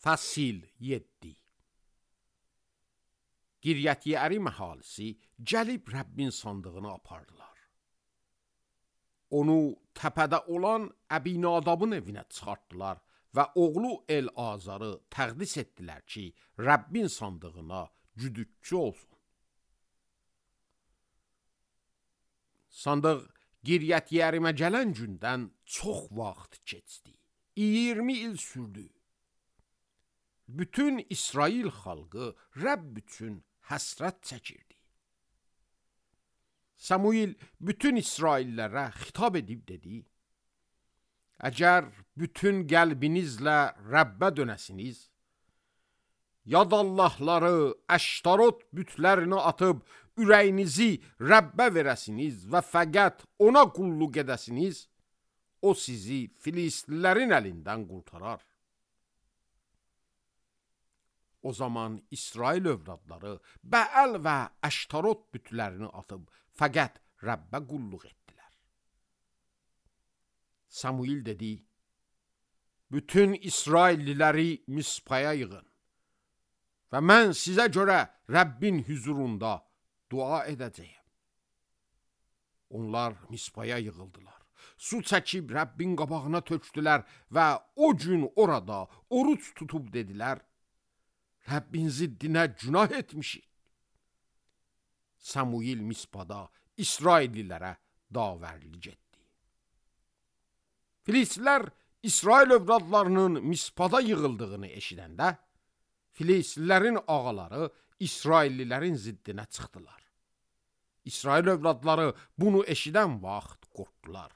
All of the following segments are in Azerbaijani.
Fəsil 7. Qiryət Yeərim əhalisi gəlib Rəbbin sandığını apardılar. Onu təpədə olan Əbinadabın evinə çıxartdılar və oğlu El-Azarı təqdis etdilər ki, Rəbbin sandığına güdükçü olsun. Sandıq Qiryət Yeərimə gələn gündən çox vaxt keçdi. 20 il sürdü. Bütün İsrail xalqı Rəbb üçün həsrət çəkirdi. Samuil bütün İsraillərə xitab edib dedi: Əgər bütün qəlbinizlə Rəbbə dönəsiniz, yad Allahları, Əştarot bütlərini atıb ürəyinizi Rəbbə verəsiniz və fəqət ona qulluq edəsiniz, o sizi Filistlilərin əlindən qurtarar. O zaman İsrail övladları Bəəl və Əştarot bütlərini atıb fəqət Rəbbə qulluq etdilər. Samuil dedi: Bütün İsrailliləri Mispaya yığın və mən sizə görə Rəbbin hüzurunda dua edəcəyəm. Onlar Mispaya yığıldılar. Su çəkib Rəbbin qabağına tökdülər və o gün orada oruç tutub dedilər: Rəbbin ziddinə günah etmişik. Samuil Mispada İsraillilərə davərlik etdi. Filistlilər İsrail övladlarının Mispada yığıldığını eşidəndə, Filistlilərin ağaları İsraillilərin ziddinə çıxdılar. İsrail övladları bunu eşidən vaxt qorxdular.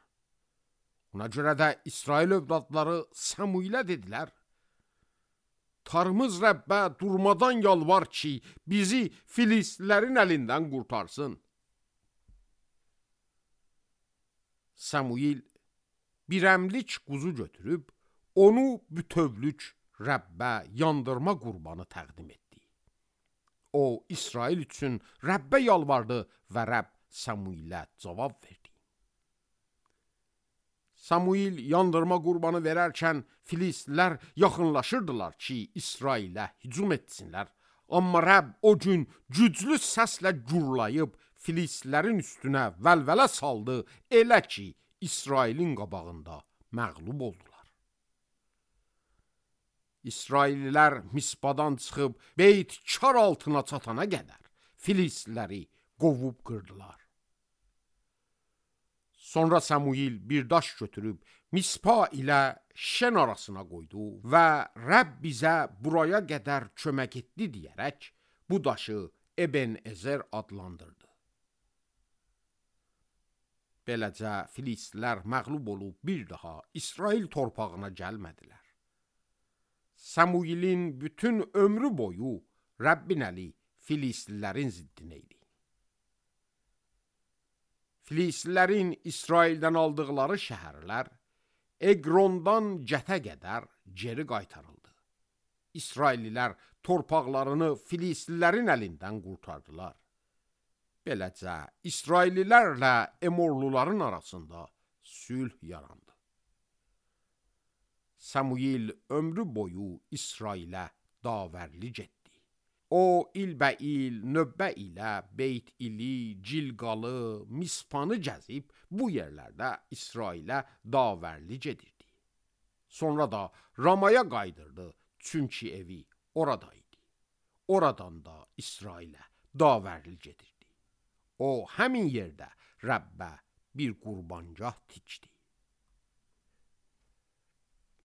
Ona görə də İsrail övladları Samuilə dedilər: Tanrımız Rəbbə durmadan yalvar ki, bizi Filistlilərin əlindən qurtarsın. Samuil bir əmlik quzu götürüb, onu bütövlük Rəbbə yandırma qurbanı təqdim etdi. O, İsrail üçün Rəbbə yalvardı və Rəbb Samuilə cavab verdi. Samuil yandırma qurbanı verərkən Filistlilər yaxınlaşırdılar ki, İsrailə hücum etsinlər. Amma Rəbb o gün güclü səslə gurlayıb Filistlilərin üstünə vəlvələ saldı, elə ki, İsrailin qabağında məğlub oldular. İsraillilər Mispadan çıxıb Beyt-Kar altına çatana qədər Filistliləri qovub qırdılar. Sonra Samuil bir daş götürüb Mispa ilə Şen arasına qoydu və Rəbb bizə buraya qədər kömək etdi deyərək bu daşı Eben-Ezer adlandırdı. Beləcə Filistlilər məğlub olub bir daha İsrail torpağına gəlmədilər. Samuilin bütün ömrü boyu Rəbbin əli Filistlilərin ziddinə idi. Filistlilərin İsraildən aldıqları şəhərlər Eqrondan Cətə qədər geri qaytarıldı. İsraillilər torpaqlarını Filistlilərin əlindən qurtardılar. Beləcə İsraillilərlə Emorluların arasında sülh yarandı. Samuil ömrü boyu İsrailə davərlik etdi. O, ilbəil, növbə ilə Beyt-İli, Cilqalı, Mispanı gəzib bu yerlərdə İsrailə davərlik edirdi. Sonra da Ramaya qaydırdı, çünki evi oradaydı. Oradan da İsrailə davərlik edirdi. O, həmin yerdə Rəbbə bir qurbangah tikdi.